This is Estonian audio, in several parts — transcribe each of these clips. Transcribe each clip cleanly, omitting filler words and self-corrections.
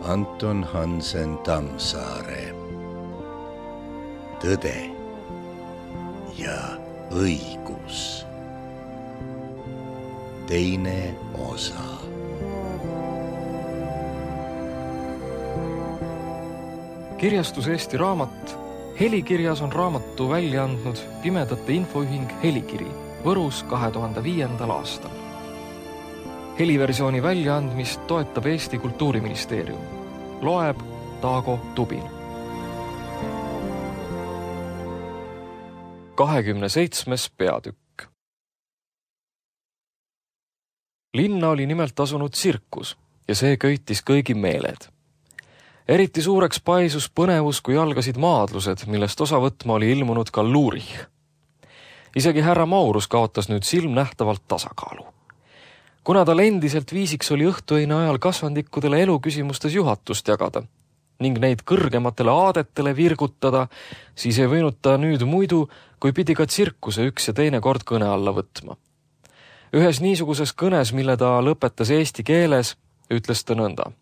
Anton Hansen Tammsaare. Tõde ja õigus. Teine osa. Kirjastus Eesti Raamat Helikirjas on raamatu välja andnud Pimedate Infoühing Helikiri Võrus 2005. aastal. Heliversiooni väljaandmist toetab Eesti Kultuuriministeerium. Loeb Taago Tubin. 27. peatükk. Linna oli nimelt asunud tsirkus ja see köitis kõigi meeled. Eriti suureks paisus põnevus, kui algasid maadlused, millest osa võtma oli ilmunud ka Luurich. Isegi härra Maurus kaotas nüüd silmnähtavalt tasakaalu. Kuna tal endiselt viisiks oli õhtuöine ajal kasvandikkudele eluküsimustes juhatust jagada ning neid kõrgematele aadetele virgutada, siis ei võinud ta nüüd muidu, kui pidi ka tsirkuse üks ja teine kord kõne alla võtma. Ühes niisuguses kõnes, mille ta lõpetas eesti keeles, ütles ta nõnda.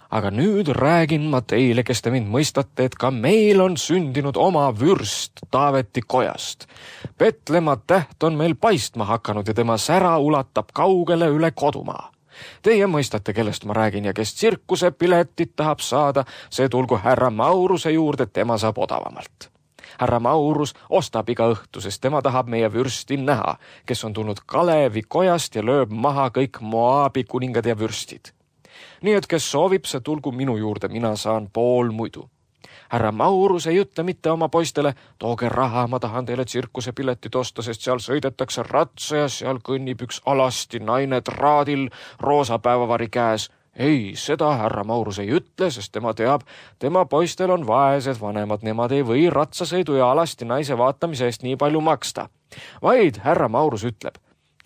Aga nüüd räägin ma teile, kes te mind mõistate, et ka meil on sündinud oma vürst Taaveti kojast. Petlemma täht on meil paistma hakanud ja tema sära ulatab kaugele üle kodumaa. Teie mõistate, kellest ma räägin ja kes tsirkuse piletit tahab saada, see tulgu härra Mauruse juurde, tema saab odavamalt. Härra Maurus ostab iga õhtu, sest tema tahab meie vürsti näha, kes on tulnud Kalevi kojast ja lööb maha kõik Moabi kuningad ja vürstid. Nii et kes soovib, see tulgu minu juurde, mina saan pool muidu. Härra Maurus ei ütle mitte oma poistele, tooge raha, ma tahan teile tsirkuse piletit osta, sest seal sõidetakse ratsa ja seal kõnnib üks alasti naine traadil roosa päevavari käes. Ei, seda härra Maurus ei ütle, sest tema teab, tema poistel on vaesed vanemad, nemad ei või ratsasõidu ja alasti naise vaatamise eest nii palju maksta. Vaid härra Maurus ütleb,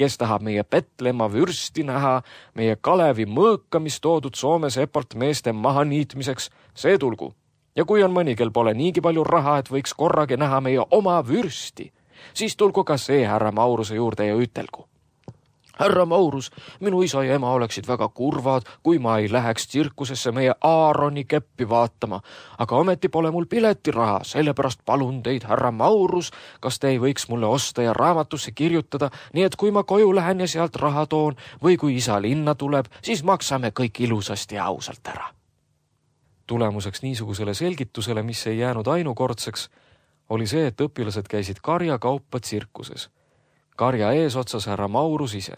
kes tahab meie Petlemma vürsti näha, meie Kalevi mõõkamis toodud Soome sepalt meeste maha niitmiseks, see tulgu. Ja kui on mõni, kel pole niigi palju raha, et võiks korragi näha meie oma vürsti, siis tulgu ka see härra Mauruse juurde ja ütelgu. Härra Maurus, minu isa ja ema oleksid väga kurvad, kui ma ei läheks tsirkusesse meie Aaroni keppi vaatama, aga ometi pole mul piletiraha, sellepärast palun teid, härra Maurus, kas te ei võiks mulle osta ja raamatusse kirjutada, nii et kui ma koju lähen ja sealt raha toon või kui isa linna tuleb, siis maksame kõik ilusasti ja ausalt ära. Tulemuseks niisugusele selgitusele, mis ei jäänud ainukordseks, oli see, et õpilased käisid karjakaupa tsirkuses. Karja eesotsas härra Maurus ise.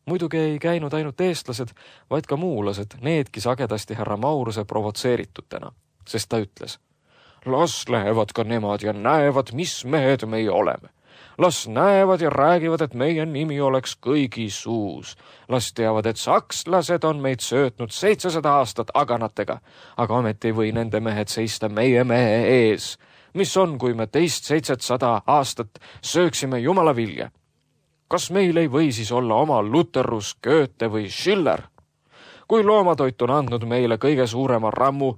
Muidugi ei käinud ainult eestlased, vaid ka muulased, needki sagedasti härra Mauruse provotseeritutena, sest ta ütles, las lähevad ka nemad ja näevad, mis mehed meie oleme. Las näevad ja räägivad, et meie nimi oleks kõigi suus. Las teavad, et sakslased on meid söötnud 700 aastat aganatega, aga ometi ei või nende mehed seista meie mehe ees. Mis on, kui me teist 700 aastat sööksime jumala vilja? Kas meil ei või siis olla oma Luterus, Goethe või Schiller? Kui loomatoit on andnud meile kõige suurema rammu,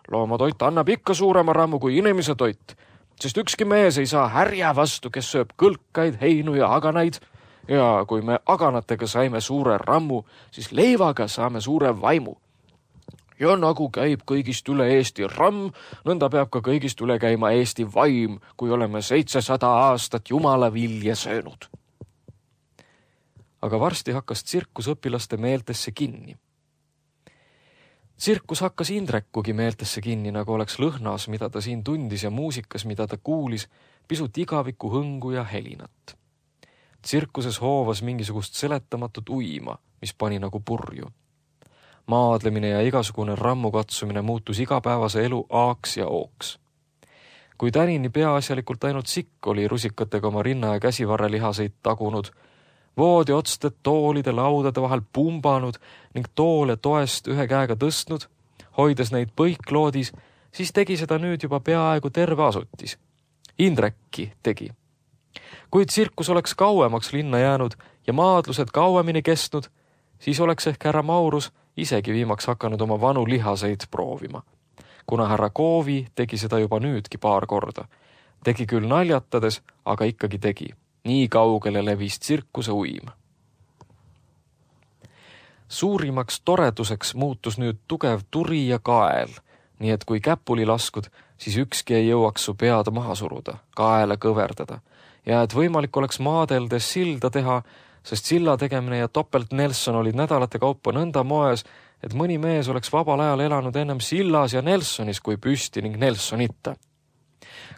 loomatoit annab ikka suurema rammu kui inimese toit, sest ükski mees ei saa härja vastu, kes sööb kõlkaid, heinu ja aganaid, ja kui me aganatega saime suure rammu, siis leivaga saame suure vaimu. Ja nagu käib kõigist üle Eesti ramm, nõnda peab ka kõigist üle käima Eesti vaim, kui oleme 700 aastat jumala vilja söönud. Aga varsti hakkas tsirkus õpilaste meeltesse kinni. Tsirkus hakkas Indrekugi meeltesse kinni, nagu oleks lõhnas, mida ta siin tundis ja muusikas, mida ta kuulis, pisut igaviku hõngu ja helinat. Tsirkuses hoovas mingisugust seletamatut uima, mis pani nagu purju. Maadlemine ja igasugune rammukatsumine muutus igapäevase elu aaks ja ooks. Kui tänini peaasjalikult ainult sikk oli rusikatega oma rinna ja käsivarrelihaseid tagunud, voodi otsted toolide laudade vahel pumbanud ning toole toest ühe käega tõstnud, hoides neid põikloodis, siis tegi seda nüüd juba peaaegu terve asutis. Indrekki tegi. Kui tsirkus oleks kauemaks linna jäänud ja maadlused kauemini kestnud, siis oleks ehk härra Maurus isegi viimaks hakanud oma vanu lihaseid proovima. Kuna härra Koovi tegi seda juba nüüdki paar korda. Tegi küll naljatades, aga ikkagi tegi. Nii kaugele levis tsirkuse uim. Suurimaks toreduseks muutus nüüd tugev turi ja kael, nii et kui käpuli laskud, siis ükski ei jõuaks su pead maha suruda, kaela kõverdada ja et võimalik oleks maadeldes silda teha, sest silla tegemine ja topelt Nelson olid nädalate kaupa nõnda moes, et mõni mees oleks vabal ajal elanud ennem sillas ja Nelsonis kui püsti ning Nelsonita.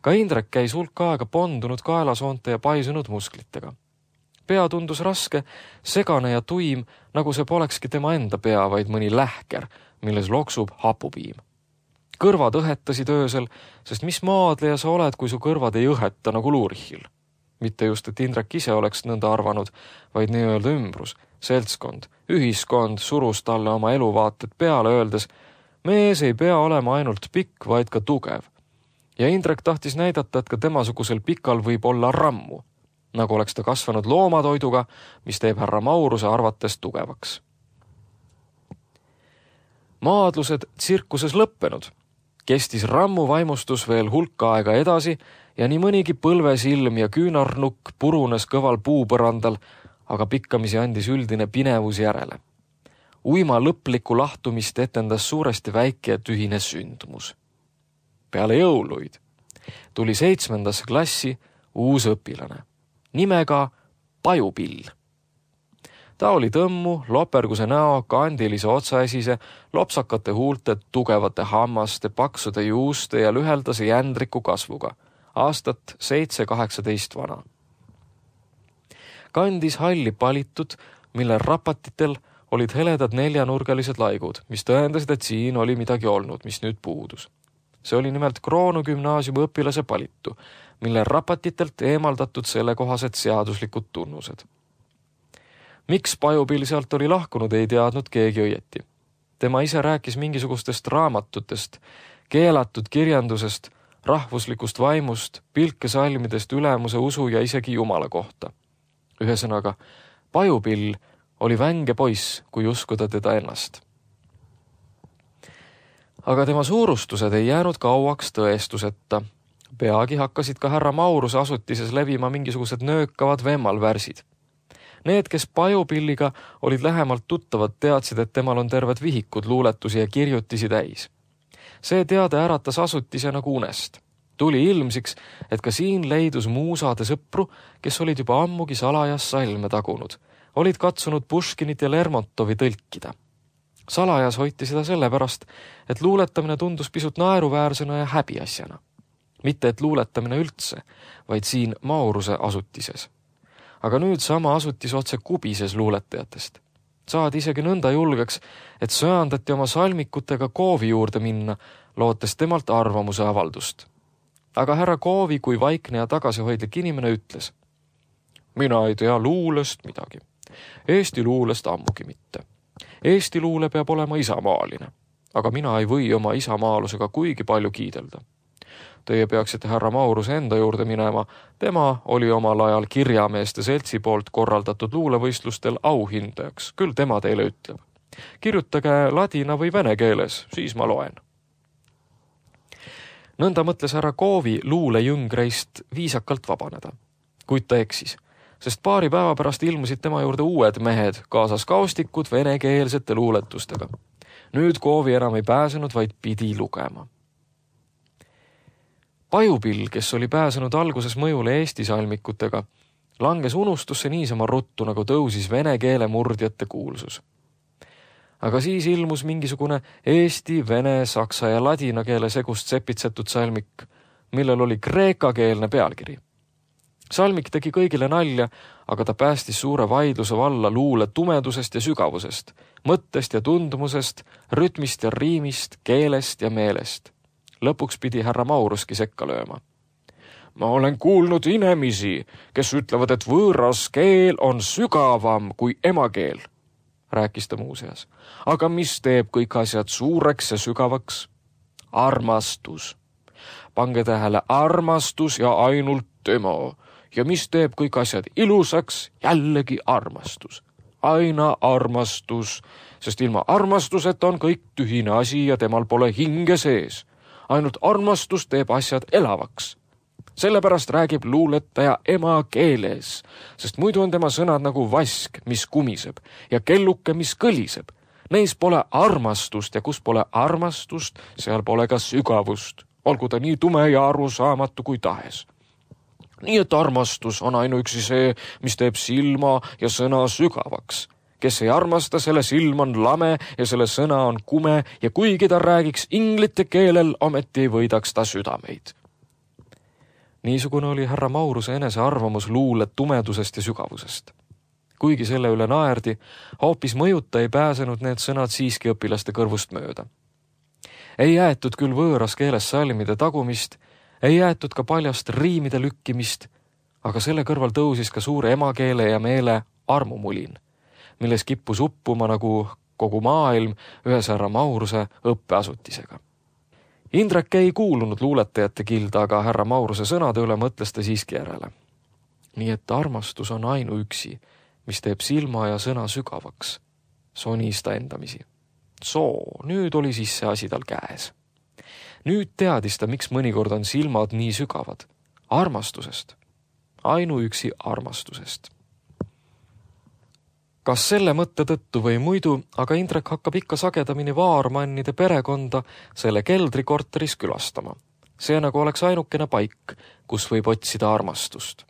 Ka Indrek käis hulk aega pondunud kaelasoonte ja paisunud musklitega. Pea tundus raske, segane ja tuim, nagu see polekski tema enda pea, vaid mõni lähker, milles loksub hapupiim. Kõrvad õhetasid öösel, sest mis maadleja sa oled, kui su kõrvad ei õheta nagu Luurichil. Mitte just, et Indrek ise oleks nõnda arvanud, vaid nii-öelda ümbrus, seltskond, ühiskond surus talle oma eluvaated peale, öeldes, mees ei pea olema ainult pikk, vaid ka tugev. Ja Indrek tahtis näidata, et ka temasugusel pikal võib olla rammu, nagu oleks ta kasvanud loomatoiduga, mis teeb härra Mauruse arvates tugevaks. Maadlused tsirkuses lõppenud. Kestis rammu vaimustus veel hulka aega edasi ja nii mõnigi põlvesilm ja küünarnukk purunes kõval puupõrandal, aga pikkamisi andis üldine pinevus järele. Uima lõplikku lahtumist etendas suuresti väike ja tühine sündmus. Peale jõuluid tuli 7. klassi uus õpilane, nimega Pajupill. Ta oli tõmmu, loperguse näo, kandilise otsaesise, lopsakate huulte, tugevate hammaste, paksude juuste ja lüheldase jändriku kasvuga, aastat 7-18 vana. Kandis halli palitud, mille rapatitel olid heledad 4-nurgalised laigud, mis tõendasid, et siin oli midagi olnud, mis nüüd puudus. See oli nimelt Kroonu gümnaasiumi õpilase palitu, mille rapatitelt eemaldatud sellekohased seaduslikud tunnused. Miks Pajupill sealt oli lahkunud, ei teadnud keegi õieti. Tema ise rääkis mingisugustest raamatutest, keelatud kirjandusest, rahvuslikust vaimust, pilkesalmidest, ülemuse usu ja isegi Jumala kohta. Ühesõnaga, Pajupill oli vänge poiss, kui uskuda teda ennast. Aga tema suurustused ei jäänud kauaks tõestuseta. Peagi hakkasid ka härra Mauruse asutises levima mingisugused nöökavad vemmalvärsid. Need, kes Pajupilliga olid lähemalt tuttavad, teadsid, et temal on terved vihikud luuletusi ja kirjutisi täis. See teade äratas asutise nagu unest. Tuli ilmsiks, et ka siin leidus muusade sõpru, kes olid juba ammugi salajas salme tagunud, olid katsunud Puškinit ja Lermontovi tõlkida. Salajas hoiti seda sellepärast, et luuletamine tundus pisut naeruväärsena ja häbiasjana. Mitte et luuletamine üldse, vaid siin Mauruse asutises. Aga nüüd sama asutis otse kubises luuletajatest. Saadi isegi nõnda julgeks, et söandati oma salmikutega Koovi juurde minna, lootes temalt arvamuse avaldust. Aga härra Koovi kui vaikne ja tagasihoidlik inimene ütles, mina ei tea luulest midagi. Eesti luulest ammugi mitte. Eesti luule peab olema isamaaline, aga mina ei või oma isamaalusega kuigi palju kiidelda. Teie peaksite härra Mauruse enda juurde minema, tema oli omal ajal kirjameeste seltsi poolt korraldatud luulevõistlustel auhindajaks, küll tema teile ütleb. Kirjutage ladina või vene keeles, siis ma loen. Nõnda mõtles härra Koovi luulejüngreist viisakalt vabaneda, kuid ta eksis, sest paari päeva pärast ilmusid tema juurde uued mehed, kaasas kaustikud venekeelsete luuletustega. Nüüd Koovi enam ei pääsenud, vaid pidi lugema. Pajupill, kes oli pääsenud alguses mõjule Eesti salmikutega, langes unustusse niisama ruttu, nagu tõusis vene keele murdjate kuulsus. Aga siis ilmus mingisugune eesti, vene, saksa ja ladina keele segust sepitsetud salmik, millel oli kreekakeelne pealkiri. Salmik tegi kõigile nalja, aga ta päästis suure vaidluse valla luule tumedusest ja sügavusest, mõttest ja tundumusest, rütmist ja riimist, keelest ja meelest. Lõpuks pidi härra Mauruski sekka lööma. Ma olen kuulnud inimesi, kes ütlevad, et võõras keel on sügavam kui emakeel, rääkis ta muuseas. Aga mis teeb kõik asjad suureks ja sügavaks? Armastus. Pange tähele, armastus ja ainult tema. Ja mis teeb kõik asjad ilusaks? Jällegi armastus. Aina armastus, sest ilma armastuseta on kõik tühine asi ja temal pole hinge sees. Ainult armastus teeb asjad elavaks. Sellepärast räägib luuletaja emakeeles, sest muidu on tema sõnad nagu vask, mis kumiseb ja kelluke, mis kõliseb. Neis pole armastust ja kus pole armastust, seal pole ka sügavust, olgu ta nii tume ja arusaamatu kui tahes. Nii et armastus on ainuüksi see, mis teeb silma ja sõna sügavaks. Kes ei armasta, selle silm on lame ja selle sõna on kume ja kuigi ta räägiks inglite keelel, ometi ei võidaks ta südameid. Niisugune oli härra Mauruse enese arvamus luule tumedusest ja sügavusest. Kuigi selle üle naerdi, hoopis mõjuta ei pääsenud need sõnad siiski õpilaste kõrvust mööda. Ei jäetud küll võõras keeles salmide tagumist, ei jäetud ka paljast riimide lükkimist, aga selle kõrval tõusis ka suure emakeele ja meele armumulin, milles kippus uppuma nagu kogu maailm ühes härra Mauruse õppeasutisega. Indrek ei kuulunud luuletajate kilda, aga härra Mauruse sõnade üle mõtles ta siiski järele. Nii et armastus on ainuüksi, mis teeb silma ja sõna sügavaks, sonis ta endamisi. Nüüd oli siis see asi tal käes. Nüüd teadis ta, miks mõnikord on silmad nii sügavad. Armastusest. Ainuüksi armastusest. Kas selle mõtte tõttu või muidu, aga Indrek hakkab ikka sagedamini Vaarmannide perekonda selle keldrikorteris külastama. See nagu oleks ainukene paik, kus võib otsida armastust.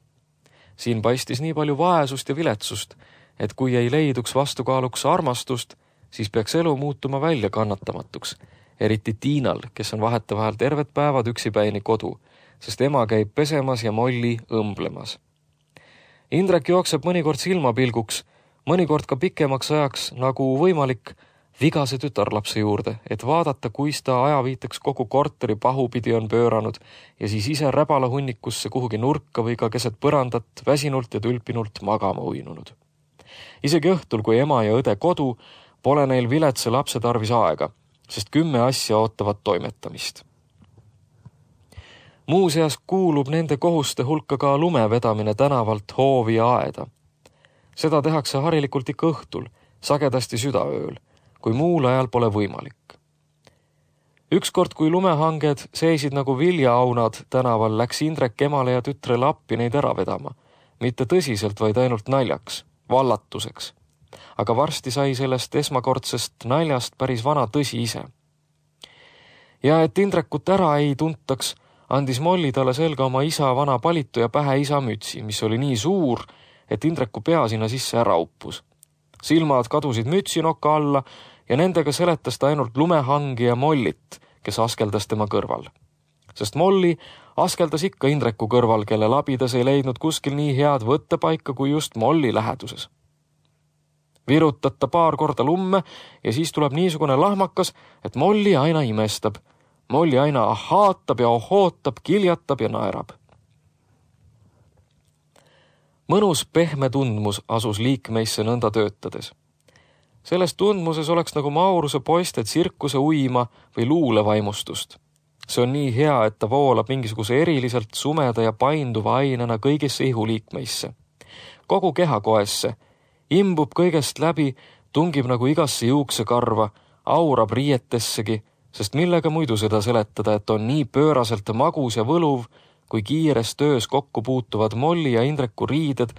Siin paistis nii palju vaesust ja viletsust, et kui ei leiduks vastukaaluks armastust, siis peaks elu muutuma välja kannatamatuks, eriti Tiinal, kes on vahetevahel terved päevad üksipäini kodu, sest ema käib pesemas ja Molli õmblemas. Indrek jookseb mõnikord silmapilguks, mõnikord ka pikemaks ajaks nagu võimalik vigase tütarlapse juurde, et vaadata, kuis ta ajaviiteks kogu korteri pahupidi on pööranud ja siis ise räbala hunnikusse kuhugi nurka või ka keset põrandat väsinult ja tülpinult magama uinunud. Isegi õhtul, kui ema ja õde kodu, pole neil viletsa lapse tarvis aega, sest 10 asja ootavad toimetamist. Muuseas kuulub nende kohuste hulka ka lumevedamine tänavalt hoovi ja aeda. Seda tehakse harilikult ikka õhtul, sagedasti südaööl, kui muul ajal pole võimalik. Ükskord, kui lumehanged seisid nagu viljaaunad tänaval, läks Indrek emale ja tütrele appi neid ära vedama. Mitte tõsiselt, vaid ainult naljaks, vallatuseks. Aga varsti sai sellest esmakordsest naljast päris vana tõsi ise. Ja et Indrekut ära ei tuntaks, andis Molli talle selga oma isa vana palitu ja pähe isa mütsi, mis oli nii suur, et Indreku pea sinna sisse ära uppus. Silmad kadusid mütsinoka alla ja nendega seletas ta ainult lumehangi ja Mollit, kes askeldas tema kõrval. Sest Molli askeldas ikka Indreku kõrval, kelle labidas ei leidnud kuskil nii head võttepaika kui just Molli läheduses. Virutad ta paar korda lumme ja siis tuleb niisugune lahmakas, et Molli aina imestab. Molli aina ahaatab ja ohootab, kiljatab ja naerab. Mõnus pehme tundmus asus liikmeisse nõnda töötades. Selles tundmuses oleks nagu Mauruse poiste tsirkuse uima või luulevaimustust. See on nii hea, et ta voolab mingisuguse eriliselt sumeda ja painduva ainena kõigisse ihuliikmeisse. Kogu kehakoesse, imbub kõigest läbi, tungib nagu igasse juuksekarva, aurab riietessegi, sest millega muidu seda seletada, et on nii pööraselt magus ja võluv, kui kiires töös kokku puutuvad Molli ja Indreku riided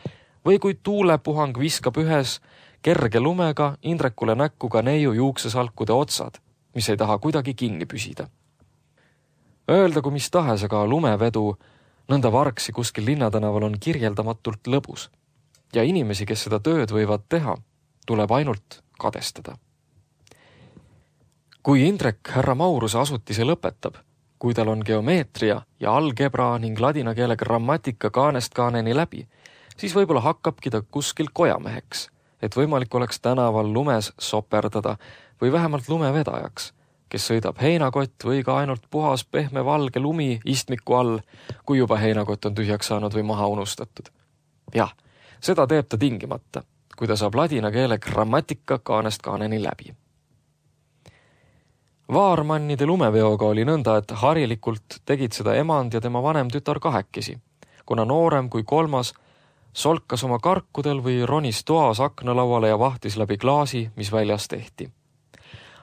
või kui tuulepuhang viskab ühes kerge lumega Indrekule näkku ka neiu juuksesalkude otsad, mis ei taha kuidagi kinni püsida. Öeldagu mis tahes, aga lumevedu nõnda vargsi kuskil linnatänaval on kirjeldamatult lõbus ja inimesi, kes seda tööd võivad teha, tuleb ainult kadestada. Kui Indrek härra Mauruse asutise lõpetab, kui tal on geomeetria ja algebra ning ladina keele grammatika kaanest kaaneni läbi, siis võib-olla hakkabki ta kuskil kojameheks, et võimalik oleks tänaval lumes soperdada või vähemalt lumevedajaks, kes sõidab heinakott või ka ainult puhas pehme valge lumi istmiku all, kui juba heinakott on tühjaks saanud või maha unustatud. Jah, seda teeb ta tingimata, kui ta saab ladina keele grammatika kaanest kaaneni läbi. Vaarmannide lumeveoga oli nõnda, et harilikult tegid seda emand ja tema vanem tütar kahekesi, kuna noorem kui kolmas solkas oma karkudel või ronis toas aknalauale ja vahtis läbi klaasi, mis väljas tehti.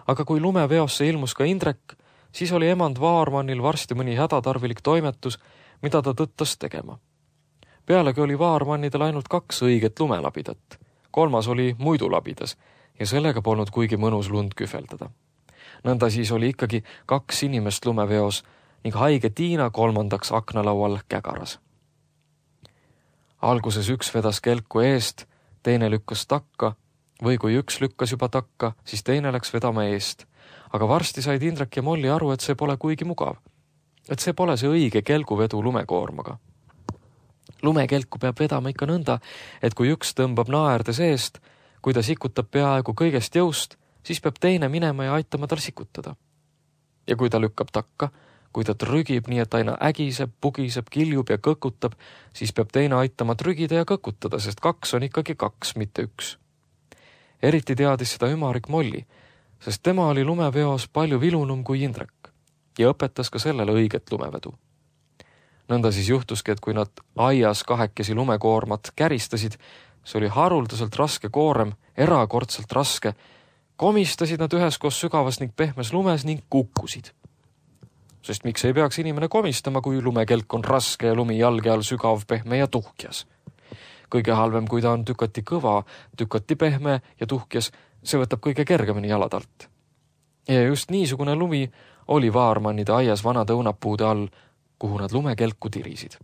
Aga kui lumeveosse ilmus ka Indrek, siis oli emand Vaarmannil varsti mõni hädatarvilik toimetus, mida ta tõttas tegema. Pealegi oli vaarmannidel ainult 2 õiget lumelabidat, 3. oli muidu labidas ja sellega polnud kuigi mõnus lund kühveldada. Nõnda siis oli ikkagi 2 inimest lumeveos ning haige Tiina 3. aknalaual kägaras. Alguses üks vedas kelku eest, teine lükkas takka või kui üks lükkas juba takka, siis teine läks vedama eest. Aga varsti said Indrek ja Molli aru, et see pole kuigi mugav. Et see pole see õige kelguvedu lumekoormaga. Lumekelku peab vedama ikka nõnda, et kui üks tõmbab naerde seest, kui ta sikutab peaaegu kõigest jõust, siis peab teine minema ja aitama tal sikutada. Ja kui ta lükkab takka, kui ta trügib nii, et aina ägiseb, pugiseb, kiljub ja kõkutab, siis peab teine aitama trügida ja kõkutada, sest 2 on ikkagi 2, mitte 1. Eriti teadis seda ümarik Molli, sest tema oli lumeveos palju vilunum kui Indrek ja õpetas ka sellele õiget lumevedu. Nõnda siis juhtuski, et kui nad aias 2 lumekoormat käristasid, see oli haruldaselt raske koorem, erakordselt raske, komistasid nad üheskoos sügavas ning pehmes lumes ning kukkusid. Sest miks ei peaks inimene komistama, kui lumekelk on raske ja lumi jalge all sügav, pehme ja tuhkjas. Kõige halvem, kui ta on tükati kõva, tükati pehme ja tuhkjas, see võtab kõige kergemini jalad alt. Ja just niisugune lumi oli vaarmannide aias vanade õunapuude all, kuhu nad lumekelku tirisid.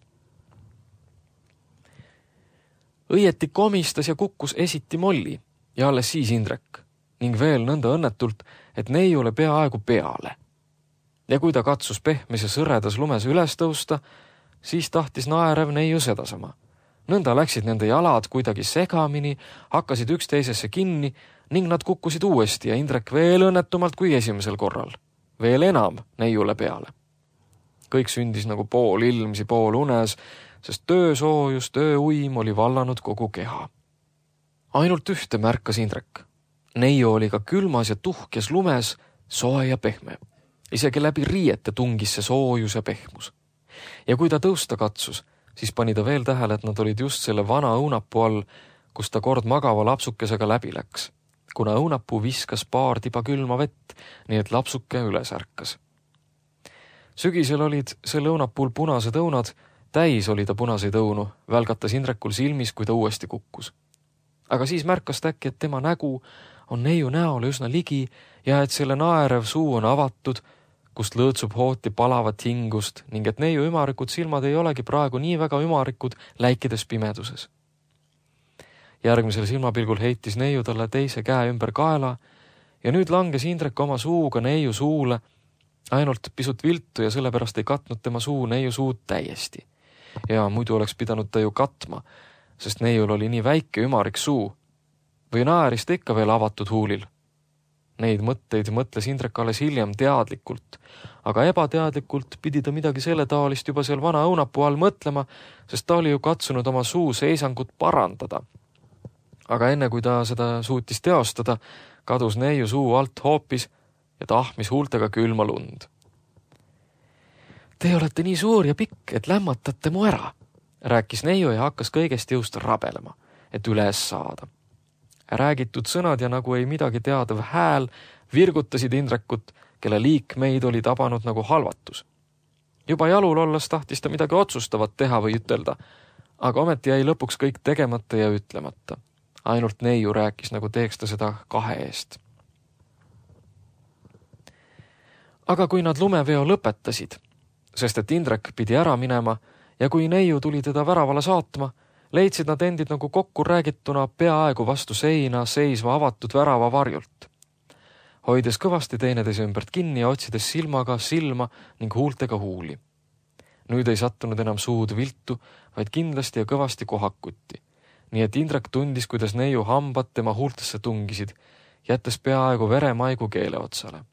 Õieti komistas ja kukkus esiti Molli ja alles siis Indrek ning veel nõnda õnnetult, et neiule peaaegu peale. Ja kui ta katsus pehmes ja sõredas lumes üles tõusta, siis tahtis naerev neiu sedasama. Nõnda läksid nende jalad kuidagi segamini, hakkasid üksteisesse kinni ning nad kukkusid uuesti ja Indrek veel õnnetumalt kui esimesel korral. Veel enam neiule peale. Kõik sündis nagu pool ilmsi, pool unes, sest töösoojus, tööuim oli vallanud kogu keha. Ainult ühte märkas Indrek. Neiu oli ka külmas ja tuhkjas lumes, soe ja pehme. Isegi läbi riiete tungis see soojus ja pehmus. Ja kui ta tõusta katsus, siis pani ta veel tähele, et nad olid just selle vana õunapuu all, kus ta kord magava lapsukesega läbi läks, kuna õunapuu viskas paar tiba külma vett, nii et lapsuke üles ärkas. Sügisel olid selle õunapuul punased õunad, täis oli ta punaseid õunu, välgatas Indrekul silmis, kui ta uuesti kukkus. Aga siis märkas ta äkki, et tema nägu on neiu näole üsna ligi ja et selle naerev suu on avatud, kust lõõtsub hooti palavat hingust ning et neiu ümarikud silmad ei olegi praegu nii väga ümarikud läikides pimeduses. Järgmisel silmapilgul heitis neiu talle teise käe ümber kaela ja nüüd langes Indrek oma suuga neiu suule, ainult pisut viltu ja sellepärast ei katnud tema suu neiu suud täiesti. Ja muidu oleks pidanud ta ju katma, sest neiul oli nii väike ümarik suu või naeris ta ikka veel avatud huulil. Neid mõtteid mõtles Indrek alles hiljem teadlikult, aga ebateadlikult pidi ta midagi selle taolist juba seal vana õunapuu all mõtlema, sest ta oli ju katsunud oma suu seisangut parandada. Aga enne kui ta seda suutis teostada, kadus neiu suu alt hoopis ja tahmis huultega külma lund. Te olete nii suur ja pikk, et lämmatate mu ära, rääkis neiu ja hakkas kõigest jõust rabelema, et üles saada. Räägitud sõnad ja nagu ei midagi teadav hääl virgutasid Indrekut, kelle liikmeid oli tabanud nagu halvatus. Juba jalul olles tahtis ta midagi otsustavat teha või ütelda, aga ometi jäi lõpuks kõik tegemata ja ütlemata. Ainult neiu rääkis, nagu teeks ta seda 2 eest. Aga kui nad lumeveo lõpetasid, sest et Indrek pidi ära minema ja kui neiu tuli teda väravale saatma, leidsid nad endid nagu kokku räägituna peaaegu vastu seina seisva avatud värava varjult. Hoides kõvasti teineteise ümbert kinni ja otsides silmaga silma ning huultega huuli. Nüüd ei sattunud enam suud viltu, vaid kindlasti ja kõvasti kohakutti. Nii et Indrek tundis, kuidas neiu hambad tema huultesse tungisid, jättes peaaegu veremaigu keele otsale.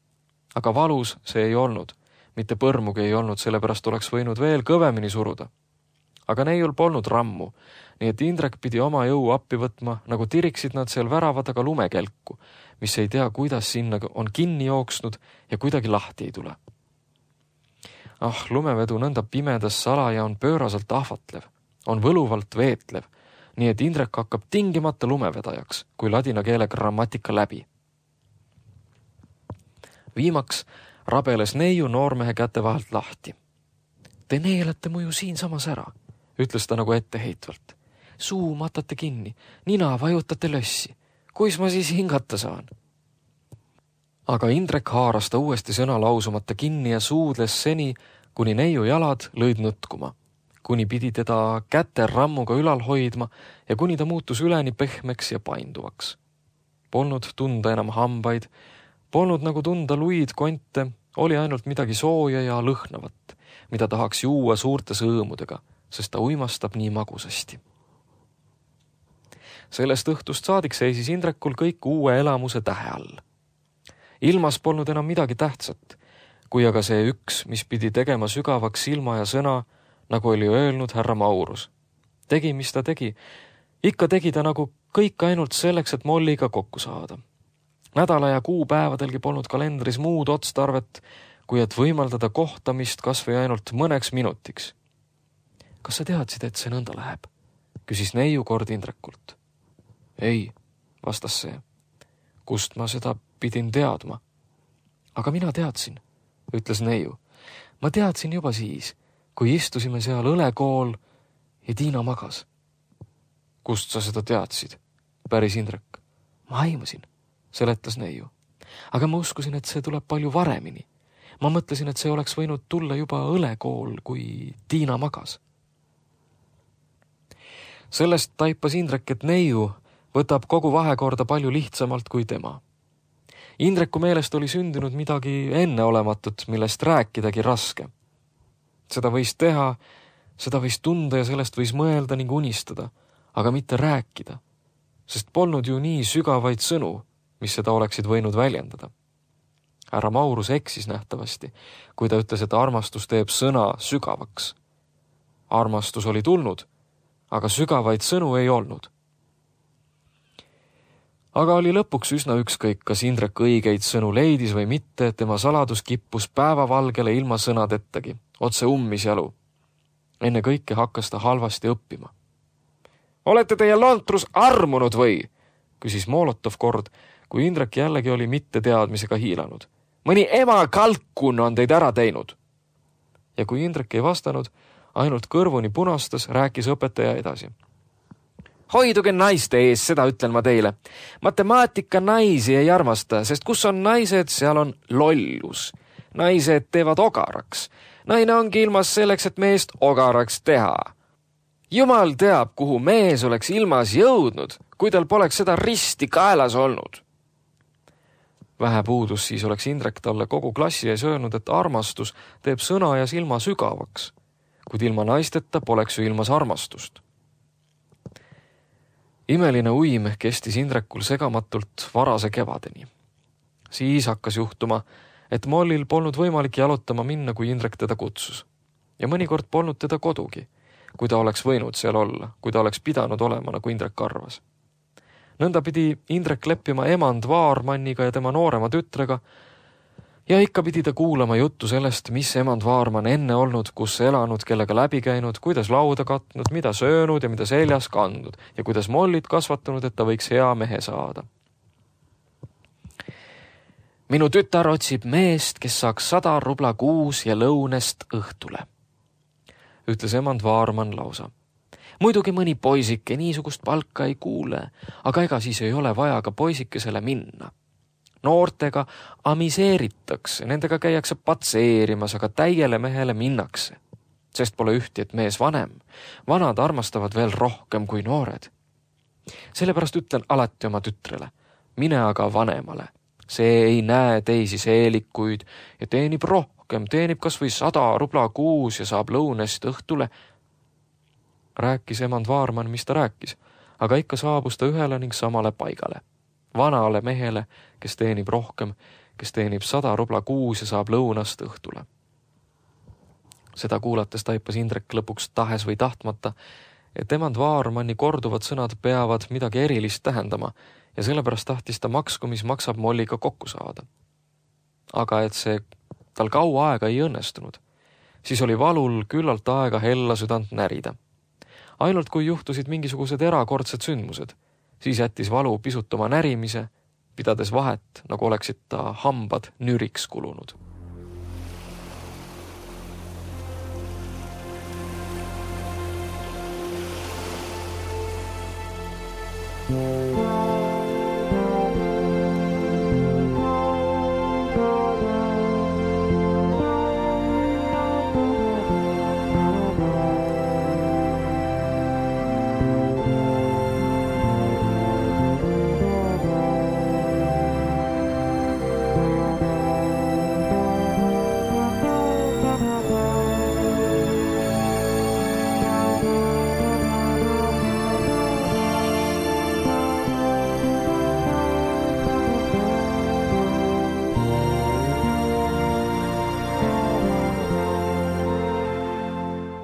Aga valus see ei olnud, mitte põrmugi ei olnud, sellepärast oleks võinud veel kõvemini suruda. Aga neiul polnud rammu, nii et Indrek pidi oma jõu appi võtma, nagu tiriksid nad seal värava taga lumekelku, mis ei tea, kuidas sinna on kinni jooksnud ja kuidagi lahti ei tule. Lumevedu nõnda pimedas salaja on pööraselt ahvatlev, on võluvalt veetlev, nii et Indrek hakkab tingimata lumevedajaks, kui ladina keele grammatika läbi. Viimaks rabeles neiu noormehe käte vahelt lahti. Te neelate muju siinsamas ära, ütles ta nagu etteheitvalt. Suu matate kinni, nina vajutate lössi. Kuis ma siis hingata saan? Aga Indrek haaras ta uuesti sõna lausumata kinni ja suudles seni, kuni neiu jalad lõid nõtkuma, kuni pidi teda käte rammuga ülal hoidma ja kuni ta muutus üleni pehmeks ja painduvaks. Polnud tunda enam hambaid, polnud nagu tunda luid konte, oli ainult midagi sooja ja lõhnavat, mida tahaks juua suurte sõõmudega, sest ta uimastab nii magusasti. Sellest õhtust saadik seisis Indrekul kõik uue elamuse tähe all. Ilmas polnud enam midagi tähtsat, kui aga see üks, mis pidi tegema sügavaks silma ja sõna, nagu oli öelnud härra Maurus. Tegi, mis ta tegi. Ikka tegi ta nagu kõik ainult selleks, et Molliga kokku saada. Nädala ja kuupäevadelgi polnud kalendris muud otstarvet, kui et võimaldada kohtamist kas või ainult mõneks minutiks. Kas sa teadsid, et see nõnda läheb? Küsis neiu kord Indrekult. Ei, vastas see. Kust ma seda pidin teadma? Aga mina teadsin, ütles neiu. Ma teadsin juba siis, kui istusime seal õlekool ja Tiina magas. Kust sa seda teadsid? Päris Indrek. Ma aimasin, seletas neiu. Aga ma uskusin, et see tuleb palju varemini. Ma mõtlesin, et see oleks võinud tulla juba õlekool, kui Tiina magas. Sellest taipas Indrek, et neiu võtab kogu vahekorda palju lihtsamalt kui tema. Indreku meelest oli sündinud midagi enneolematut, millest rääkidagi raske. Seda võis teha, seda võis tunda ja sellest võis mõelda ning unistada, aga mitte rääkida, sest polnud ju nii sügavaid sõnu, mis seda oleksid võinud väljendada. Härra Maurus eksis nähtavasti, kui ta ütles, et armastus teeb sõna sügavaks. Armastus oli tulnud, aga sügavaid sõnu ei olnud. Aga oli lõpuks üsna ükskõik, kas Indrek õigeid sõnu leidis või mitte, et tema saladus kippus päevavalgele ilma sõnadettagi, otse ummis jalu. Enne kõike hakkas ta halvasti õppima. Olete teie lontrus armunud või? Küsis Molotov kord, kui Indrek jällegi oli mitte teadmisega hiilanud. Mõni ema kalkun on teid ära teinud. Ja kui Indrek ei vastanud, ainult kõrvuni punastas, rääkis õpetaja edasi. Hoiduge naiste ees, seda ütlen ma teile. Matemaatika naisi ei armasta, sest kus on naised, seal on lollus. Naised teevad ogaraks. Naine ongi ilmas selleks, et meest ogaraks teha. Jumal teab, kuhu mees oleks ilmas jõudnud, kui tal poleks seda risti kaelas olnud. Vähe puudus, siis oleks Indrek talle kogu klassi ees öelnud, et armastus teeb sõna ja silma sügavaks, kuid ilma naisteta poleks ju ilmas armastust. Imeline uim kestis Indrekul segamatult varase kevadeni. Siis hakkas juhtuma, et Mollil polnud võimalik jalutama minna, kui Indrek teda kutsus. Ja mõnikord polnud teda kodugi, kui ta oleks võinud seal olla, kui ta oleks pidanud olema, nagu Indrek arvas. Nõnda pidi Indrek leppima emand Vaarmanniga ja tema noorema tütrega ja ikka pidi ta kuulama juttu sellest, mis emand Vaarman enne olnud, kus elanud, kellega läbi käinud, kuidas lauda katnud, mida söönud ja mida seljas kandnud ja kuidas Mollit kasvatanud, et ta võiks hea mehe saada. Minu tütar otsib meest, kes saaks 100 rubla kuus ja lõunest õhtule, ütles emand Vaarman lausa. Muidugi mõni poisike niisugust palka ei kuule, aga ega siis ei ole vaja ka poisikesele minna. Noortega amiseeritakse, nendega käiakse patseerimas, aga täiele mehele minnakse. Sest pole ühti, et mees vanem. Vanad armastavad veel rohkem kui noored. Sellepärast ütlen alati oma tütrele, mine aga vanemale. See ei näe teisi seelikuid ja teenib rohkem, teenib kas või 100 rubla kuus ja saab lõunest õhtule. Rääkis emand Vaarman, mis ta rääkis, aga ikka saabus ta ühele ning samale paigale. Vanale mehele, kes teenib rohkem, kes teenib 100 rubla kuus ja saab lõunast õhtule. Seda kuulates taipas Indrek lõpuks tahes või tahtmata, et emand Vaarmanni korduvad sõnad peavad midagi erilist tähendama ja sellepärast tahtis ta maksku, mis maksab Molliga kokku saada. Aga et see tal kaua aega ei õnnestunud, siis oli valul küllalt aega hella südant närida. Ainult kui juhtusid mingisugused erakordsed sündmused, siis jättis valu pisut oma närimise, pidades vahet, nagu oleksid ta hambad nüriks kulunud.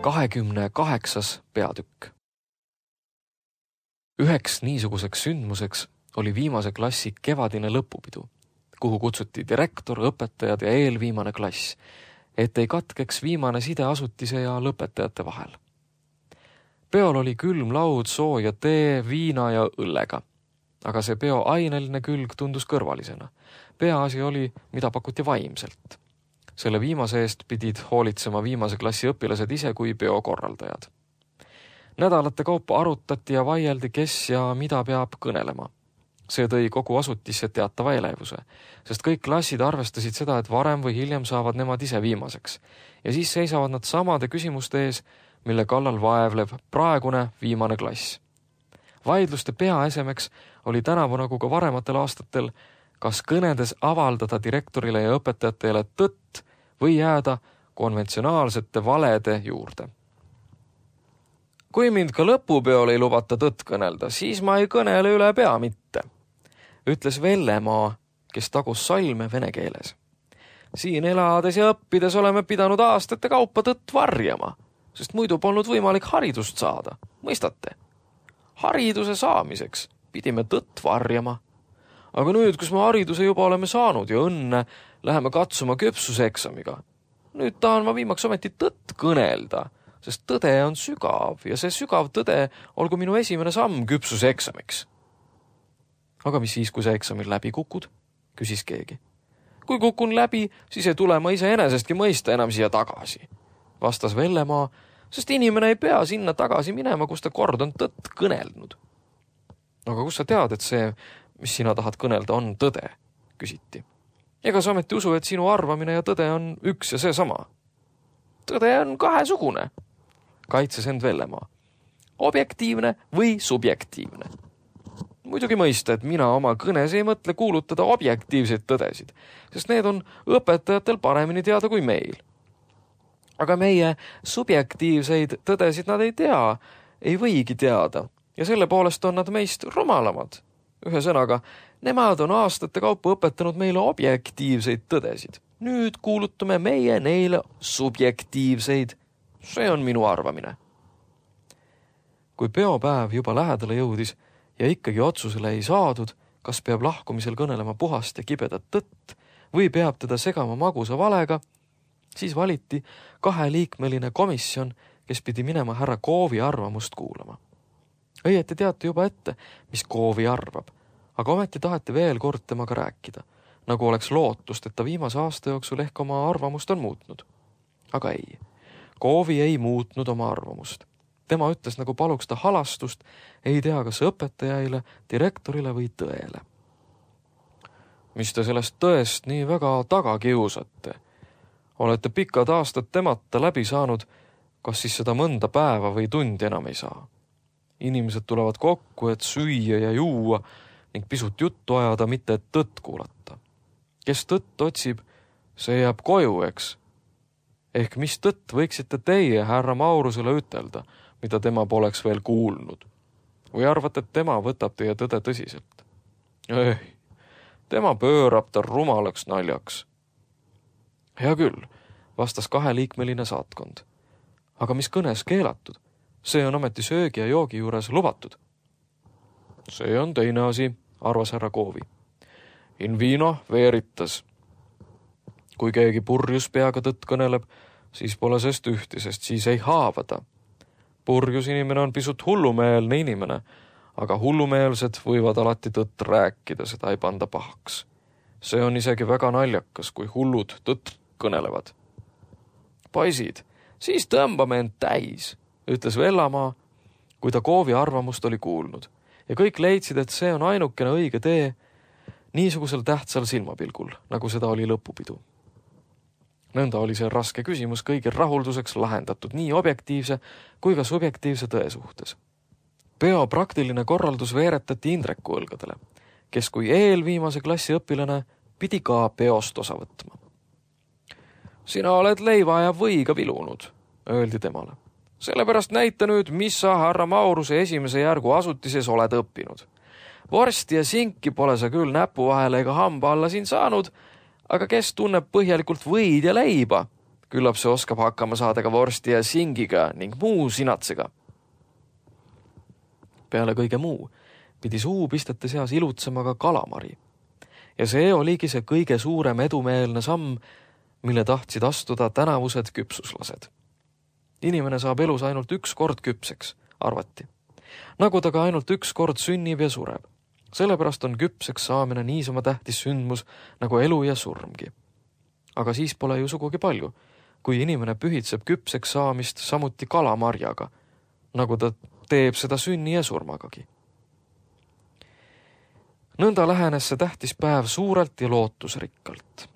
...28. peatükk. Üheks niisuguseks sündmuseks oli viimase klassi kevadine lõpupidu, kuhu kutsuti direktor, õpetajad ja eelviimane klass, et ei katkeks viimane side asutise ja lõpetajate vahel. Peol oli külm laud, sooja tee, viina ja õllega, aga see peo aineline külg tundus kõrvalisena. Peaasi oli, mida pakuti vaimselt. Selle viimase eest pidid hoolitsema viimase klassi õpilased ise kui peokorraldajad. Nädalate kaupa arutati ja vaieldi, kes ja mida peab kõnelema. See tõi kogu asutisse teatava elevuse, sest kõik klassid arvestasid seda, et varem või hiljem saavad nemad ise viimaseks. Ja siis seisavad nad samade küsimuste ees, mille kallal vaevleb praegune viimane klass. Vaidluste peaesemeks oli tänavu nagu ka varematel aastatel, kas kõnedes avaldada direktorile ja õpetajatele tõtt või jääda konventsionaalsete valede juurde. Kui mind ka lõpupeol ei lubata tõtt kõnelda, siis ma ei kõnele üle pea mitte, ütles Vellemaa, kes tagus salme vene keeles. Siin elades ja õppides oleme pidanud aastate kaupa tõtt varjama, sest muidu polnud võimalik haridust saada, mõistate? Hariduse saamiseks pidime tõtt varjama. Aga nüüd, kus me hariduse juba oleme saanud ja õnne, läheme katsuma küpsuseksamiga. Nüüd tahan ma viimaks ometi tõtt kõnelda, sest tõde on sügav ja see sügav tõde olgu minu esimene samm küpsuseksamiks. Aga mis siis, kui sa eksamil läbi kukud? Küsis keegi. Kui kukun läbi, siis ei tule ma iseenesestki mõista enam siia tagasi, vastas Vellemaa, sest inimene ei pea sinna tagasi minema, kus ta kord on tõtt kõnelnud. Aga kus sa tead, et see, mis sina tahad kõnelda, on tõde, küsiti. Ega sa ometi usu, et sinu arvamine ja tõde on üks ja see sama. Tõde on kahesugune, kaitses end Vellemaa. Objektiivne või subjektiivne. Muidugi mõista, et mina oma kõnes ei mõtle kuulutada objektiivseid tõdesid, sest need on õpetajatel paremini teada kui meil. Aga meie subjektiivseid tõdesid nad ei tea, ei võigi teada ja selle poolest on nad meist rumalamad. Ühesõnaga, nemad on aastate kaupa õpetanud meile objektiivseid tõdesid. Nüüd kuulutame meie neile subjektiivseid. See on minu arvamine. Kui peopäev juba lähedale jõudis ja ikkagi otsusele ei saadud, kas peab lahkumisel kõnelema puhast ja kibedat tõtt või peab teda segama magusa valega, siis valiti 2-liikmeline komisjon, kes pidi minema härra Koovi arvamust kuulama. Õieti teati juba ette, mis Koovi arvab, aga ometi taheti veel kord temaga rääkida, nagu oleks lootust, et ta viimase aasta jooksul ehk oma arvamust on muutnud. Aga ei, Koovi ei muutnud oma arvamust. Tema ütles, nagu paluks ta halastust, ei tea kas õpetajaile, direktorile või tõele. Mis te sellest tõest nii väga taga kiusate? Olete pikad aastad temata läbi saanud, kas siis seda mõnda päeva või tundi enam ei saa? Inimesed tulevad kokku, et süüa ja juua ning pisut juttu ajada, mitte et tõtt kuulata. Kes tõtt otsib, see jääb koju, eks? Ehk mis tõtt võiksite teie härra Maurusele ütelda, mida tema poleks veel kuulnud? Või arvate, et tema võtab teie tõde tõsiselt? Ei, tema pöörab ta rumalaks naljaks. Hea küll, vastas 2-liikmeline saatkond. Aga mis kõnes keelatud? See on ometi söögi ja joogi juures lubatud. See on teine asi, arvas härra Koovi. In vino veritas. Kui keegi purjus peaga tõtt kõneleb, siis pole sest ühti, sest siis ei haavada. Purjus inimene on pisut hullumeelne inimene, aga hullumeelsed võivad alati tõtt rääkida, seda ei panda pahaks. See on isegi väga naljakas, kui hullud tõtt kõnelevad. Poisid, siis tõmbame end täis, ütles Vellemaa, kui ta Koovi arvamust oli kuulnud. ja kõik leidsid, et see on ainukene õige tee niisugusel tähtsal silmapilgul, nagu seda oli lõpupidu. Nõnda oli see raske küsimus kõigil rahulduseks lahendatud nii objektiivse kui ka subjektiivse tõe suhtes. Peo praktiline korraldus veeretati Indreku õlgadele, kes kui eelviimase klassi õpilane pidi ka peost osa võtma. Sina oled leiva ja võiga vilunud, öeldi temale. Sellepärast näita nüüd, mis sa härra Mauruse esimese järgu asutises oled õppinud. Vorsti ja sinki pole sa küll näpu vahele ega hamba alla siin saanud, aga kes tunneb põhjalikult võid ja leiba, küllap see oskab hakkama saada ka vorsti ja singiga ning muu sinatsega. Peale kõige muu pidi suupistete seas ilutsema ka kalamari. Ja see oligi see kõige suurem edumeelne samm, mille tahtsid astuda tänavused küpsuslased. Inimene saab elus ainult üks kord küpseks, arvati. Nagu ta ka ainult üks kord sünnib ja sureb. Sellepärast on küpseks saamine niisama tähtis sündmus nagu elu ja surmgi. Aga siis pole ju sugugi palju, kui inimene pühitseb küpseks saamist samuti kalamarjaga, nagu ta teeb seda sünni ja surmagagi. Nõnda lähenes see tähtis päev suurelt ja lootusrikkalt.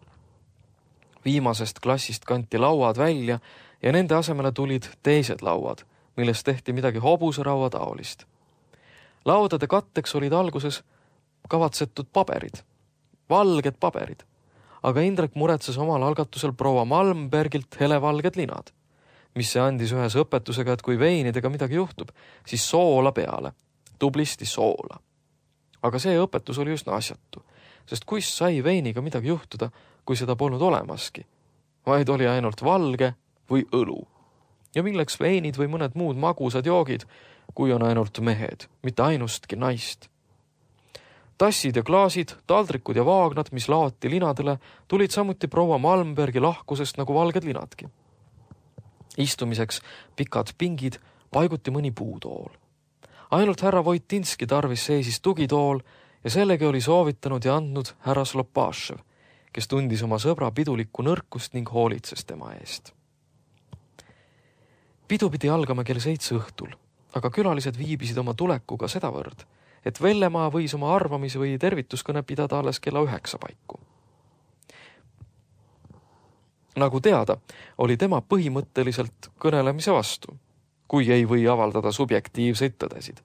Viimasest klassist kanti lauad välja ja nende asemele tulid teised lauad, millest tehti midagi hobuseraua taolist. Laudade katteks olid alguses kavatsetud paberid, valged paberid, aga Indrek muretses omal algatusel proua Malmbergilt helevalged linad, mis see andis ühes õpetusega, et kui veinidega midagi juhtub, siis soola peale, tublisti soola. Aga see õpetus oli üsna asjatu, sest kus sai veiniga midagi juhtuda, kui seda polnud olemaski, vaid oli ainult valge või õlu. Ja milleks veinid või mõned muud magusad joogid, kui on ainult mehed, mitte ainustki naist. Tassid ja klaasid, taldrikud ja vaagnad, mis laoti linadele, tulid samuti proua Malmbergi lahkusest nagu valged linadki. Istumiseks pikad pingid paiguti mõni puutool. Ainult härra Voitinski tarvis seisis tugitool ja sellegi oli soovitanud ja andnud härra Slopašev, kes tundis oma sõbra pidulikku nõrkust ning hoolitses tema eest. Pidu pidi algama kell 7 õhtul, aga külalised viibisid oma tulekuga sedavõrd, et Vellemaa võis oma arvamis või tervituskõne pidada alles kella 9 paiku. Nagu teada, oli tema põhimõtteliselt kõnelemise vastu, kui ei või avaldada subjektiivseid tõdesid,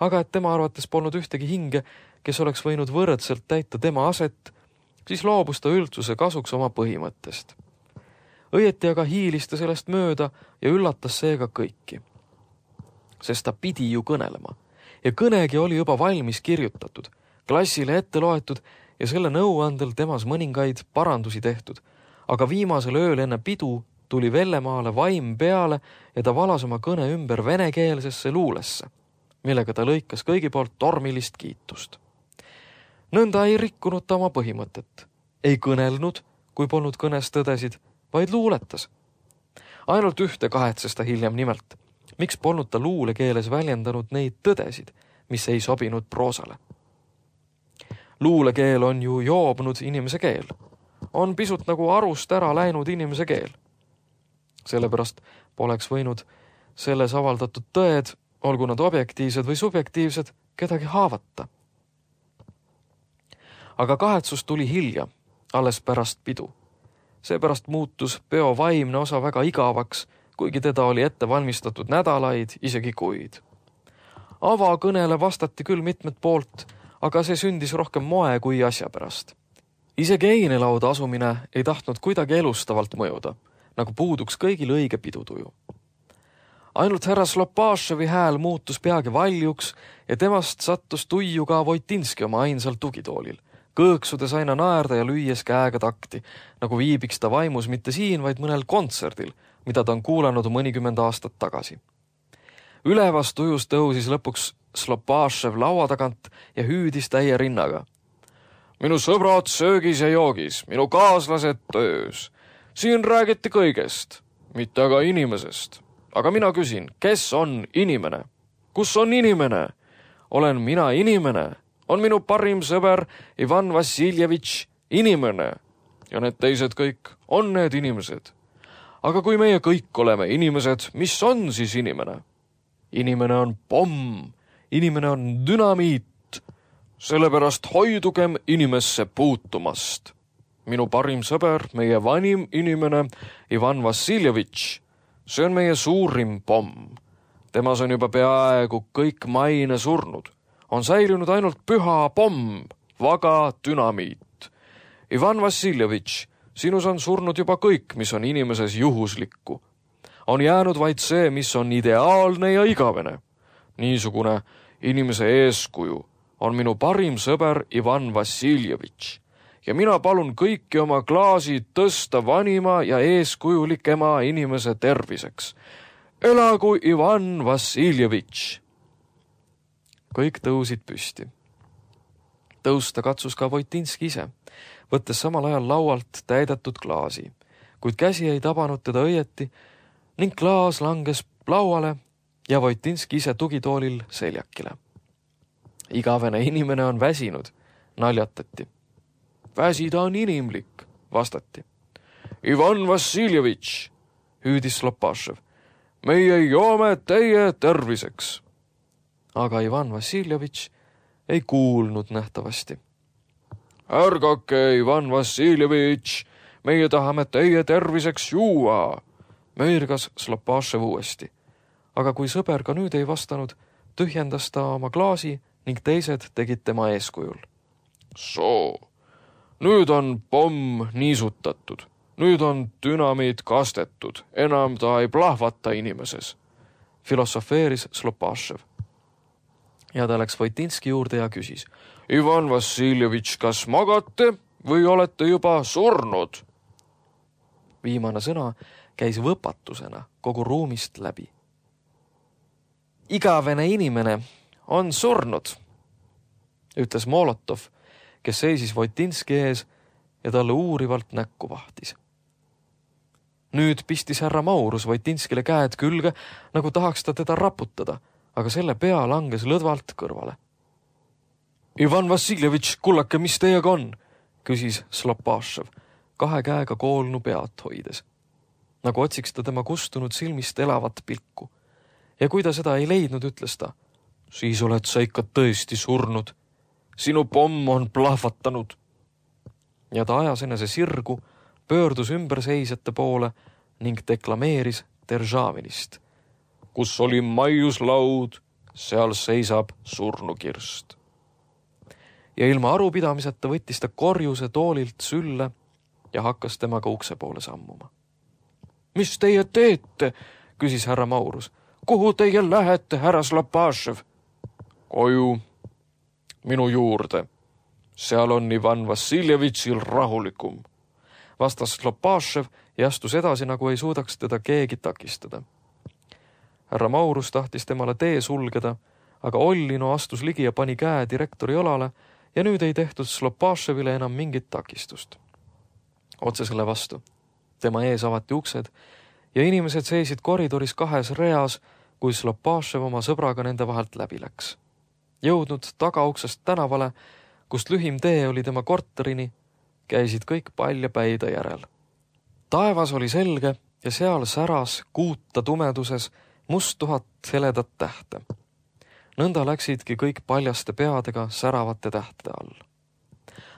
aga et tema arvates polnud ühtegi hinge, kes oleks võinud võrdselt täita tema aset, siis loobus ta üldsuse kasuks oma põhimõttest. Õieti aga hiilis ta sellest mööda ja üllatas seega kõiki. Sest ta pidi ju kõnelema ja kõnegi oli juba valmis kirjutatud, klassile ette loetud ja selle nõuandel temas mõningaid parandusi tehtud, aga viimasel ööl enne pidu tuli Vellemaale vaim peale ja ta valas oma kõne ümber venekeelsesse luulesse, millega ta lõikas kõigi poolt tormilist kiitust. Nõnda ei rikkunud ta oma põhimõtet, ei kõnelnud, kui polnud kõnes tõdesid, vaid luuletas. Ainult ühte kahetses ta hiljem nimelt, miks polnud ta luulekeeles väljendanud neid tõdesid, mis ei sobinud proosale. Luulekeel on ju joobnud inimese keel, on pisut nagu arust ära läinud inimese keel. Sellepärast poleks võinud selles avaldatud tõed, olgu nad objektiivsed või subjektiivsed, kedagi haavata. Aga kahetsus tuli hilja, alles pärast pidu. Seepärast muutus peo vaimne osa väga igavaks, kuigi teda oli ette valmistatud nädalaid, isegi kuid. Avakõnele vastati küll mitmed poolt, aga see sündis rohkem moe kui asja pärast. Isegi einelauda asumine ei tahtnud kuidagi elustavalt mõjuda, nagu puuduks kõigil õige pidutuju. Ainult härra Slopaševi hääl muutus peagi valjuks ja temast sattus tuiu ka Voitinski oma ainsal tugitoolil, kõõksudes aina naerda ja lüües käega takti, nagu viibiks ta vaimus mitte siin, vaid mõnel kontserdil, mida ta on kuulanud mõnikümmend aastat tagasi. Ülevast tujus tõusis lõpuks Slopašev laua tagant ja hüüdis täie rinnaga. Minu sõbrad söögis ja joogis, minu kaaslased töös. Siin räägiti kõigest, mitte aga inimesest. Aga mina küsin, kes on inimene? Kus on inimene? Olen mina inimene? On minu parim sõber Ivan Vassiljevitš inimene? Ja need teised kõik on need inimesed. Aga kui meie kõik oleme inimesed, mis on siis inimene? Inimene on pomm inimene on dünamiit, sellepärast hoidugem inimesse puutumast. Minu parim sõber, meie vanim inimene Ivan Vassiljevitš, see on meie suurim pomm. Temas on juba peaaegu kõik maine surnud. On säilinud ainult püha pomm, vaga dünamiit. Ivan Vassiljevitš, sinus on surnud juba kõik, mis on inimeses juhuslikku. On jäänud vaid see, mis on ideaalne ja igavene. Niisugune inimese eeskuju on minu parim sõber Ivan Vassiljevitš ja mina palun kõiki oma klaasi tõsta vanima ja eeskujulikema inimese terviseks. Elagu Ivan Vassiljevitš! Kõik tõusid püsti. Tõusta katsus ka Voitinski ise, võttes samal ajal laualt täidetud klaasi, kuid käsi ei tabanud teda õieti ning klaas langes lauale ja Voitinski ise tugitoolil seljakile. Igavene inimene on väsinud, naljatati. Väsida on inimlik, vastati. Ivan Vassiljevitš, hüüdis Slopašev, meie joome teie terviseks. Aga Ivan Vassiljevitš ei kuulnud nähtavasti. Ärgake, Ivan Vassiljevitš, meie tahame teie terviseks juua, möirgas Slopašev uuesti. Aga kui sõber ka nüüd ei vastanud, tühjendas ta oma klaasi ning teised tegid tema eeskujul. Soo, nüüd on pomm niisutatud, nüüd on dünamiit kastetud, enam ta ei plahvata inimeses, filosofeeris Slopašev. Ja ta läks Voitinski juurde ja küsis, Ivan Vassiljevitš, kas magate või olete juba surnud? Viimane sõna käis võpatusena kogu ruumist läbi. Igavene inimene on surnud, ütles Molotov, kes seisis Voitinski ees ja talle uurivalt näkku vahtis. Nüüd pistis härra Maurus Voitinskile käed külge, nagu tahaks ta teda raputada, aga selle pea langes lõdvalt kõrvale. Ivan Vassiljevitš, kullake, mis teiega on? Küsis Slopašev, kahe käega koolnu pead hoides. Nagu otsiks ta tema kustunud silmist elavat pilku. Ja kui ta seda ei leidnud, ütles ta, siis oled sa ikka tõesti surnud. Sinu pomm on plahvatanud. Ja ta ajas enese sirgu, pöördus ümberseisjate poole ning deklameeris Deržavinist. Kus oli maiuslaud, seal seisab surnukirst. Ja ilma arupidamiseta võttis ta korjuse toolilt sülle ja hakkas temaga ukse poole sammuma. Mis teie teete? Küsis härra Maurus. Kuhu teie lähete, härra Slopašev? Koju, minu juurde. Seal on Ivan Vassiljevitšil rahulikum. Vastas Slopašev ja astus edasi, nagu ei suudaks teda keegi takistada. Härra Maurus tahtis temale tee sulgeda, aga Ollino astus ligi ja pani käe direktori olale ja nüüd ei tehtud Slopaševile enam mingit takistust. Otse selle vastu. Tema ees avati uksed ja inimesed seisid koridoris kahes reas, kui Slopašev oma sõbraga nende vahelt läbi läks. Jõudnud tagauksest tänavale, kust lühim tee oli tema korterini, käisid kõik palja päida järel. Taevas oli selge ja seal säras kuuta tumeduses must 1000 heledat tähte. Nõnda läksidki kõik paljaste peadega säravate tähte all.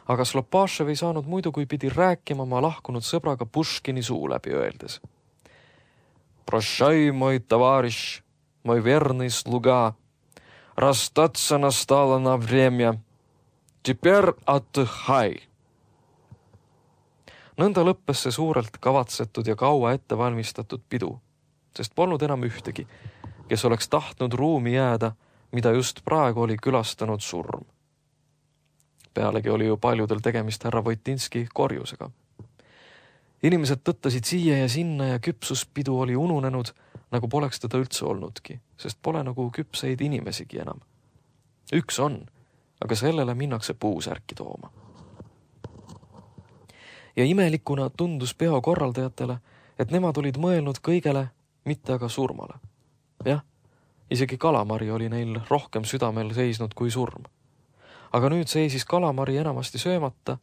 Aga Slopašev ei saanud muidu, kui pidi rääkima oma lahkunud sõbraga Puškini suu läbi öeldes. Prošai, moj tavariš, moj verný sluga, расстаться настало на время. Теперь отдыхай. Nõnda lõppes see suurelt kavatsetud ja kaua ette valmistatud pidu, sest polnud enam ühtegi, kes oleks tahtnud ruumi jääda, mida just praegu oli külastanud surm. Pealegi oli ju paljudel tegemist härra Voitinski korjusega. Inimesed tõttasid siia ja sinna ja küpsuspidu oli ununenud, nagu poleks teda üldse olnudki, sest pole nagu küpseid inimesigi enam. Üks on, aga sellele minnakse puusärki tooma. Ja imelikuna tundus peo korraldajatele, et nemad olid mõelnud kõigele, mitte aga surmale. Jah, isegi kalamari oli neil rohkem südamel seisnud kui surm. Aga nüüd seisis kalamari enamasti söömata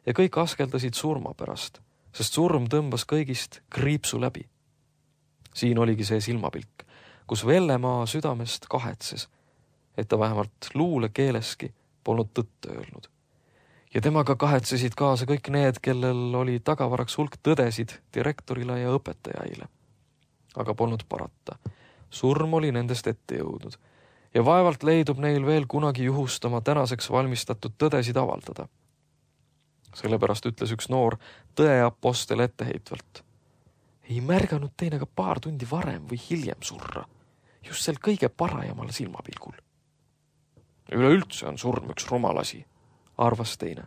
ja kõik askeldasid surma pärast, sest surm tõmbas kõigist kriipsu läbi. Siin oligi see silmapilk, kus Vellemaa südamest kahetses, et ta vähemalt luulekeeleski polnud tõtt öelnud. Ja temaga kahetsesid kaasa kõik need, kellel oli tagavaraks hulk tõdesid direktorile ja õpetajaile. Aga polnud parata. Surm oli nendest ette jõudnud ja vaevalt leidub neil veel kunagi juhust oma tänaseks valmistatud tõdesid avaldada. Sellepärast ütles üks noor tõeapostel etteheitvalt. Ei märganud teine ka paar tundi varem või hiljem surra, just sel kõige parajamal silmapilgul. Üleüldse on surm üks rumalasi, arvas teine.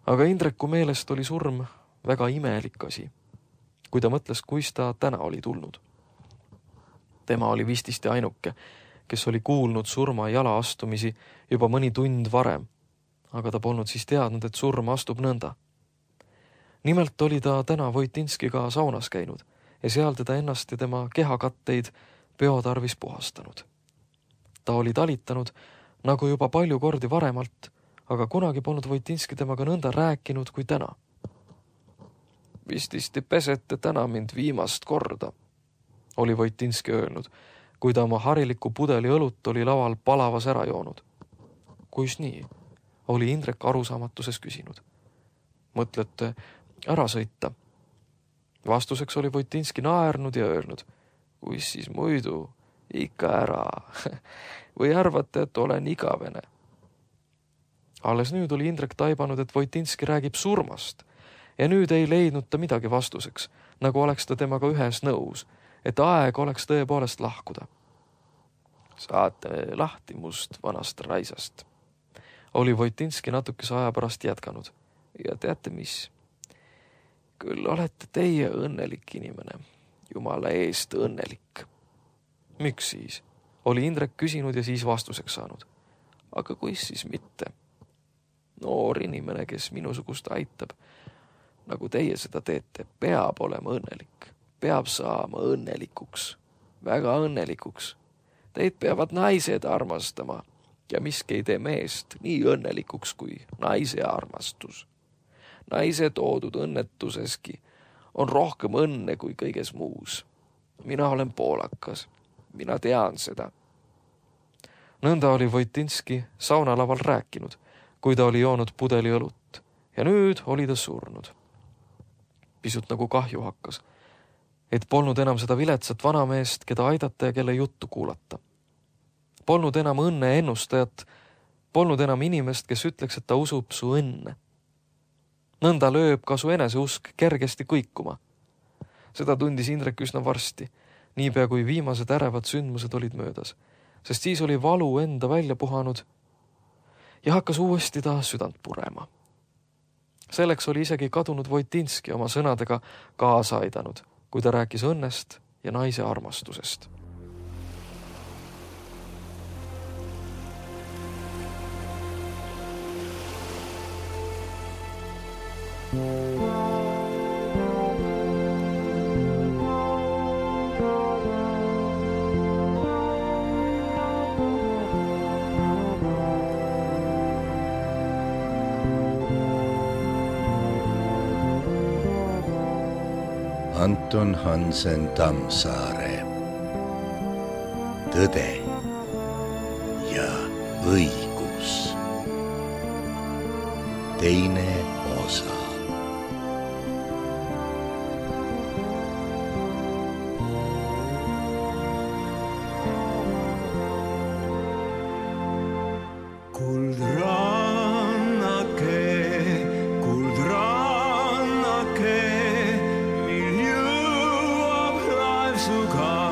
Aga Indreku meelest oli surm väga imelik asi, kui ta mõtles, kuis ta täna oli tulnud. Tema oli vististi ainuke, kes oli kuulnud surma jala astumisi juba mõni tund varem, aga ta polnud siis teadnud, et surm astub nõnda. Nimelt oli ta täna Voitinskiga saunas käinud ja seal teda ennast ja tema kehakatteid peotarvis puhastanud. Ta oli talitanud nagu juba palju kordi varemalt, aga kunagi polnud Voitinski temaga nõnda rääkinud kui täna. Vististi pesete täna mind viimast korda, oli Voitinski öelnud, kui ta oma hariliku pudeli õlut oli laval palavas ära joonud. Kuis nii? Oli Indrek arusaamatuses küsinud. Mõtlete ära sõita? Vastuseks oli Voitinski naernud ja öelnud, kuis siis muidu, ikka ära. Või arvate, et olen igavene? Alles nüüd oli Indrek taibanud, et Voitinski räägib surmast ja nüüd ei leidnud ta midagi vastuseks, nagu oleks ta temaga ühes nõus, et aeg oleks tõepoolest lahkuda. Saate lahti must vanast raisast. Oli Voitinski natukese aja pärast jätkanud. Ja teate mis? Küll olete teie õnnelik inimene. Jumala eest õnnelik. Miks siis? Oli Indrek küsinud ja siis vastuseks saanud. Aga kuis siis mitte? Noor inimene, kes minusugust aitab, nagu teie seda teete, peab olema õnnelik. Peab saama õnnelikuks. Väga õnnelikuks. Teid peavad naised armastama ja miski ei tee meest nii õnnelikuks kui naise armastus. Naise toodud õnnetuseski on rohkem õnne kui kõiges muus. Mina olen poolakas. Mina tean seda. Nõnda oli Voitinski saunalaval rääkinud, kui ta oli joonud pudeli õlut ja nüüd oli ta surnud. Pisut nagu kahju hakkas, et polnud enam seda viletsat vanameest, keda aidata ja kelle juttu kuulata. Polnud enam õnne ennustajat, polnud enam inimest, kes ütleks, et ta usub su õnne. Nõnda lööb ka su eneseusk kergesti kõikuma. Seda tundis Indrek üsna varsti, niipea kui viimased ärevad sündmused olid möödas, sest siis oli valu enda välja puhanud ja hakkas uuesti ta südant purema. Selleks oli isegi kadunud Voitinski oma sõnadega kaasa aidanud, kui ta rääkis õnnest ja naise armastusest. Anton Hansen Tammsaare. Tõde ja õigus. Teine osa. Kuldrannake, mil jõuab laev su ka.